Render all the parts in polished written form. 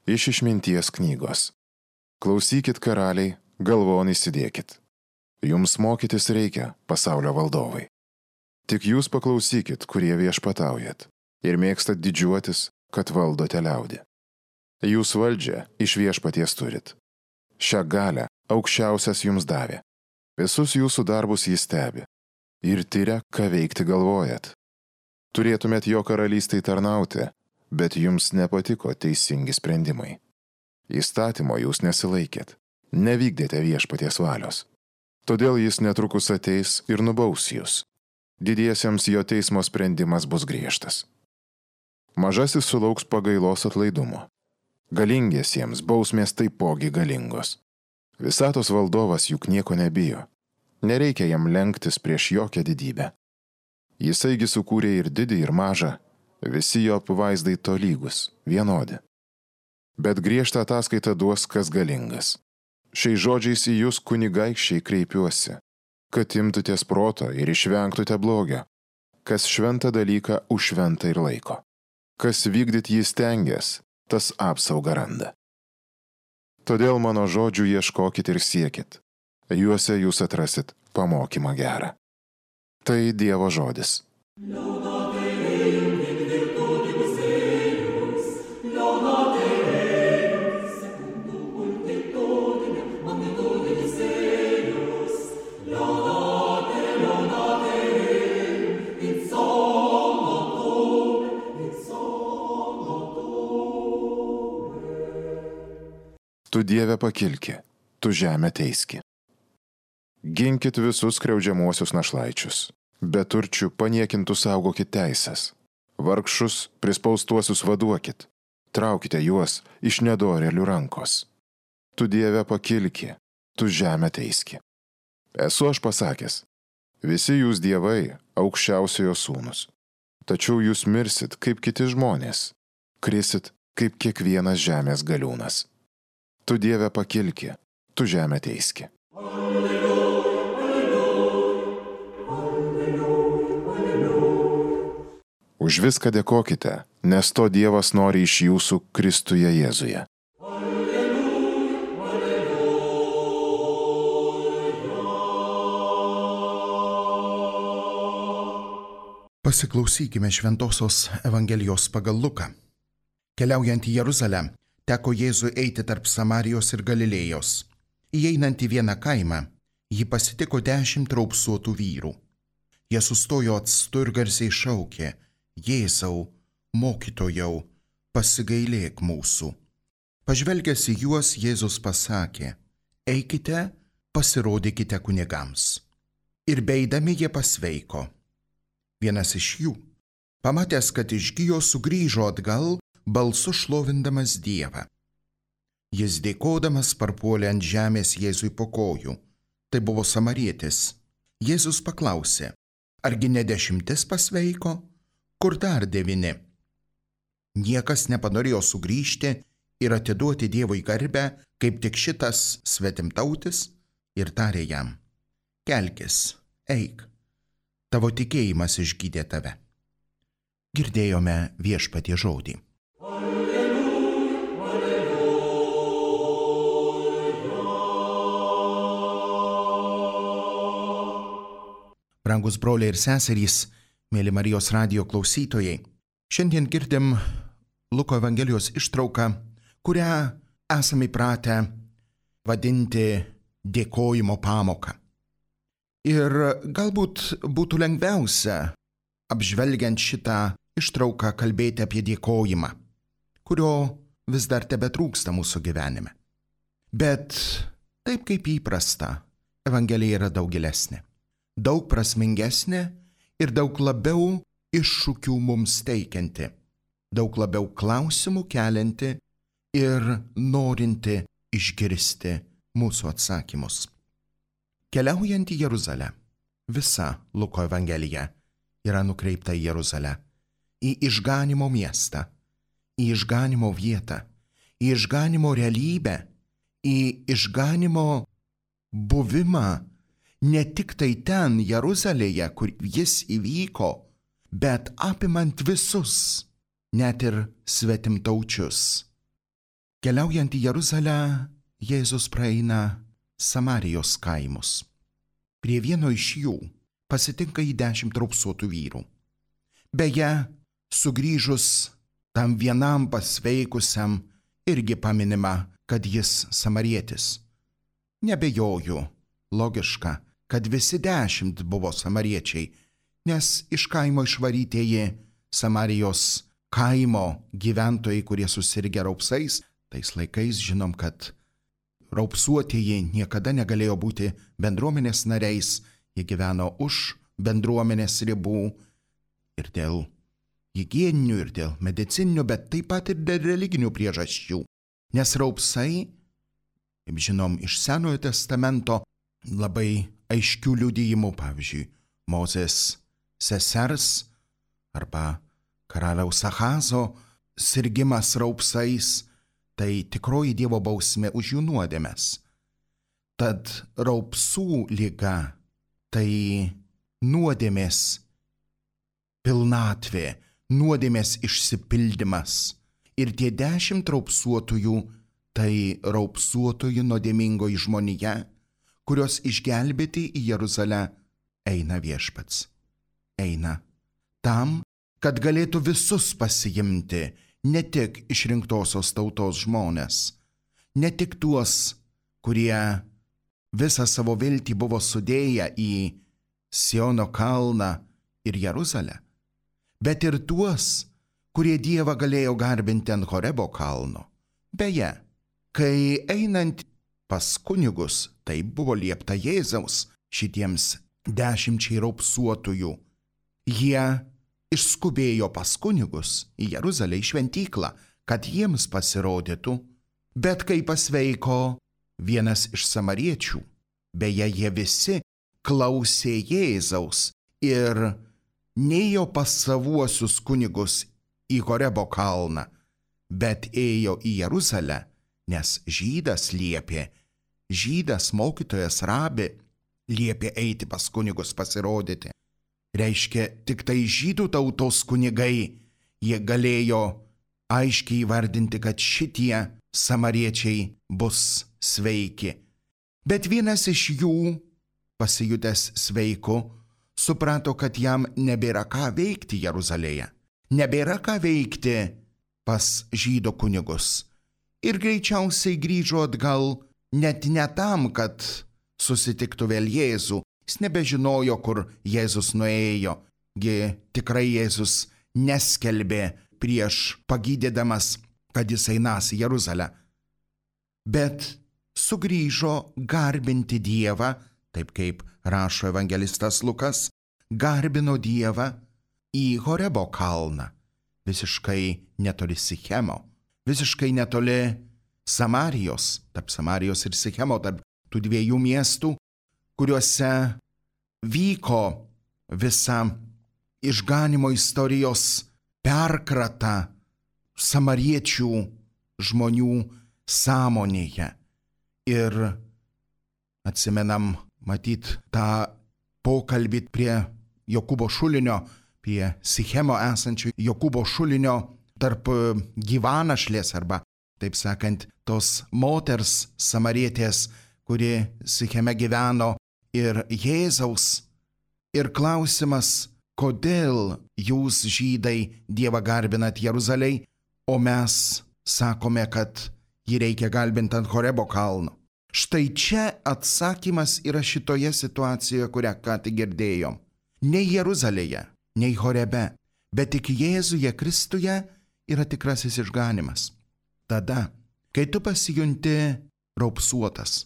Iš Išminties knygos. Klausykit, karaliai, galvon įsidėkit. Jums mokytis reikia, pasaulio valdovai. Tik jūs paklausykit, kurie viešpataujat, ir mėgstat didžiuotis, kad valdote liaudį. Jūs valdžią iš viešpaties turit. Šią galią aukščiausias jums davė. Visus jūsų darbus jis stebi ir tyria, ką veikti galvojat. Turėtumėt jo karalystei tarnauti, bet jums nepatiko teisingi sprendimai. Įstatymo jūs nesilaikėt, nevykdėte viešpaties valios. Todėl jis netrukus ateis ir nubaus jūs. Didiesiems jo teismo sprendimas bus griežtas. Mažasis sulauks pagailos atlaidumo. Galingiesiems bausmės taipogi galingos. Visatos valdovas juk nieko nebijo. Nereikia jam lenktis prieš jokią didybę. Jisaigi sukūrė ir didį, ir mažą, visi jo apvaizdai tolygus, vienodi. Bet griežtą ataskaitą duos kas galingas. Šiais žodžiais į jūs kunigaikščiai kreipiuosi, kad imtutės proto ir išvengtute blogio, kas šventą dalyką už šventą ir laiko. Kas vykdyt jį stengias, tas apsaugą randa. Todėl mano žodžių ieškokit ir siekit. Juose jūs atrasit pamokymą gerą. Tai Dievo žodis. Tu Dieve pakilki, tu žemę teiski. Ginkit visus skriaudžiamuosius našlaičius. Beturčių paniekintų saugokit teisės. Vargšus prispaustuosius vaduokit. Traukite juos iš nedorėlių rankos. Tu Dieve pakilki, tu žemę teiski. Esu aš pasakęs, visi jūs dievai aukščiausiojo sūnus. Tačiau jūs mirsit kaip kiti žmonės, krisit kaip kiekvienas žemės galiūnas. Tu Dieve pakilki, tu žemę teiski. Už viską dėkokite, nes to Dievas nori iš jūsų Kristuje Jėzuje. Pasiklausykime Šventosios Evangelijos pagal Luką. Keliaujant į Jeruzalę, teko Jėzui eiti tarp Samarijos ir Galilėjos. Įeinant į vieną kaimą, jį pasitiko 10 raupsuotų vyrų. Jie sustojo atstu ir garsiai šaukė: Jėzau, mokytojau, pasigailėk mūsų. Pažvelgęs į juos, Jėzus pasakė: Eikite, pasirodykite kunigams. Ir beeidami jie pasveiko. Vienas iš jų, pamatęs, kad išgijo, sugrįžo atgal, balsu šlovindamas Dievą. Jis dėkodamas parpuolė ant žemės Jėzui po kojų. Tai buvo samarietis. Jėzus paklausė: Argi ne 10 pasveiko? Kur dar 9? Niekas nepanorėjo sugrįžti ir atiduoti Dievui garbę, kaip tik šitas svetimtautis, ir tarė jam: Kelkis, eik, tavo tikėjimas išgydė tave. Girdėjome Viešpaties žodį. Brangus broliai ir seserys, mėly Marijos radijo klausytojai, šiandien girdim Luko Evangelijos ištrauką, kurią esame įpratę vadinti dėkojimo pamoką. Ir galbūt būtų lengviausia, apžvelgiant šitą ištrauką, kalbėti apie dėkojimą, kurio vis dar tebetrūksta mūsų gyvenime. Bet taip kaip įprasta, Evangelija yra daug gilesnė, daug prasmingesnė ir daug labiau iššūkių mums teikianti, daug labiau klausimų kelianti ir norinti išgirsti mūsų atsakymus. Keliaujant į Jeruzalę, visa Luko Evangelija yra nukreipta į Jeruzalę, į išganymo miestą, į išganymo vietą, į išganymo realybę, į išganymo buvimą ne tik tai ten, Jeruzalėje, kur jis įvyko, bet apimant visus, net ir svetimtaučius. Keliaujant į Jeruzalę, Jėzus praeina Samarijos kaimus. Prie vieno iš jų pasitinka į 10 raupsuotų vyrų. Beje, sugrįžus tam vienam pasveikusiam irgi paminima, kad jis samarietis. Nebejoju, logiška, kad visi 10 buvo samariečiai, nes iš kaimo išvarytieji Samarijos kaimo gyventojai, kurie susirgę raupsais, tais laikais žinom, kad raupsuotieji niekada negalėjo būti bendruomenės nariais, jie gyveno už bendruomenės ribų ir dėl higieninių, ir dėl medicininių, bet taip pat ir dėl religinių priežasčių. Nes raupsai, kaip žinom, iš Senojo testamento labai aiškių liudijimų, pavyzdžiui, Mozės sesers arba karaliaus Achazo sirgimas raupsais, tai tikroji Dievo bausmė už jų nuodėmes. Tad raupsų liga tai nuodėmės pilnatvė, nuodėmės išsipildymas. Ir tie 10 raupsuotųjų tai raupsuotojų nuodėmingoji žmonija, kurios išgelbėti į Jeruzalę eina viešpats. Eina tam, kad galėtų visus pasiimti, ne tik išrinktosios tautos žmonės, ne tik tuos, kurie visą savo viltį buvo sudėję į Siono kalną ir Jeruzalę, bet ir tuos, kurie Dievą galėjo garbinti ant Horebo kalno. Beje, kai einant pas kunigus, tai buvo liepta Jėzaus šitiems 10 raupsuotųjų, jie išskubėjo pas kunigus į Jeruzalę, į šventyklą, kad jiems pasirodytų, bet kai pasveiko vienas iš samariečių, beje, jie visi klausė Jėzaus ir nėjo pas savuosius kunigus į Horebo kalną, bet ėjo į Jeruzalę, nes žydas liepė, žydas mokytojas rabi liepė eiti pas kunigus pasirodyti. Reiškia, tik tai žydų tautos kunigai, jie galėjo aiškiai įvardinti, kad šitie samariečiai bus sveiki. Bet vienas iš jų, pasijutęs sveiku, suprato, kad jam nebėra ką veikti Jeruzalėje, nebėra ką veikti pas žydų kunigus. Ir greičiausiai grįžo atgal net ne tam, kad susitiktų vėl Jėzų. Jis nebežinojo, kur Jėzus nuėjo. Tikrai Jėzus neskelbė prieš pagydydamas, kad jis einas į Jeruzalę. Bet sugrįžo garbinti Dievą, taip kaip rašo evangelistas Lukas, garbino Dievą į Horebo kalną, visiškai netoli Sichemo, visiškai netoli Samarijos, tarp Samarijos ir Sichemo, tarp tų 2 miestų, kuriuose vyko visa išganimo istorijos perkrata samariečių žmonių sąmonėje. Ir atsimenam, matyt, tą pokalbį prie Jokūbo šulinio, prie Sichemo esančio Jokūbo šulinio tarp gyvanašlės arba, taip sakant, tos moters samarietės, kuri Sicheme gyveno, ir Jėzaus. Ir klausimas, kodėl jūs žydai Dievą garbinat Jeruzalėj, o mes sakome, kad jį reikia garbinti ant Horebo kalno. Štai čia atsakymas yra šitoje situacijoje, kurią ką tik girdėjom. Ne Jeruzalėje, nei Horebe, bet tik Jėzuje Kristuje yra tikrasis išganimas. Tada, kai tu pasijunti raupsuotas,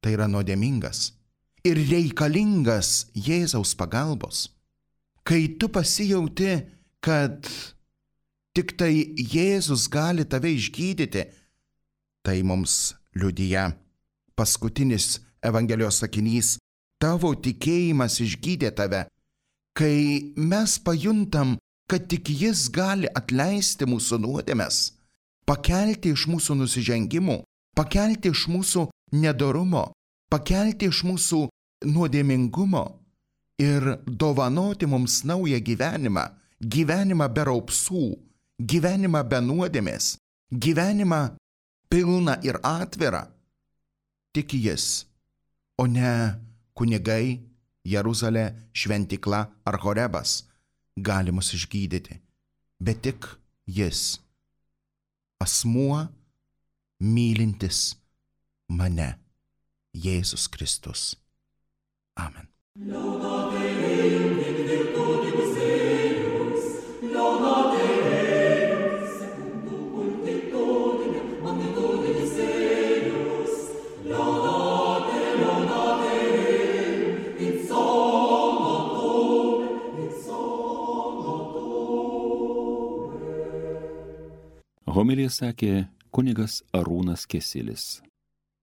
tai yra nuodėmingas ir reikalingas Jėzaus pagalbos. Kai tu pasijauti, kad tik tai Jėzus gali tave išgydyti, tai mums liudija paskutinis Evangelijos sakinys: tavo tikėjimas išgydė tave. Kai mes pajuntam, kad tik Jis gali atleisti mūsų nuodėmes, pakelti iš mūsų nusižengimų, pakelti iš mūsų nedorumo, pakelti iš mūsų nuodėmingumo ir dovanoti mums naują gyvenimą, gyvenimą be raupsų, gyvenimą be nuodėmės, gyvenimą pilną ir atvirą, tik jis, o ne kunigai, Jeruzalė, šventykla ar Horebas gali mus išgydyti, bet tik jis, asmuo mylintis mane, Jėzus Kristus. Amen. Homiliją sakė kunigas Arūnas Kesilis.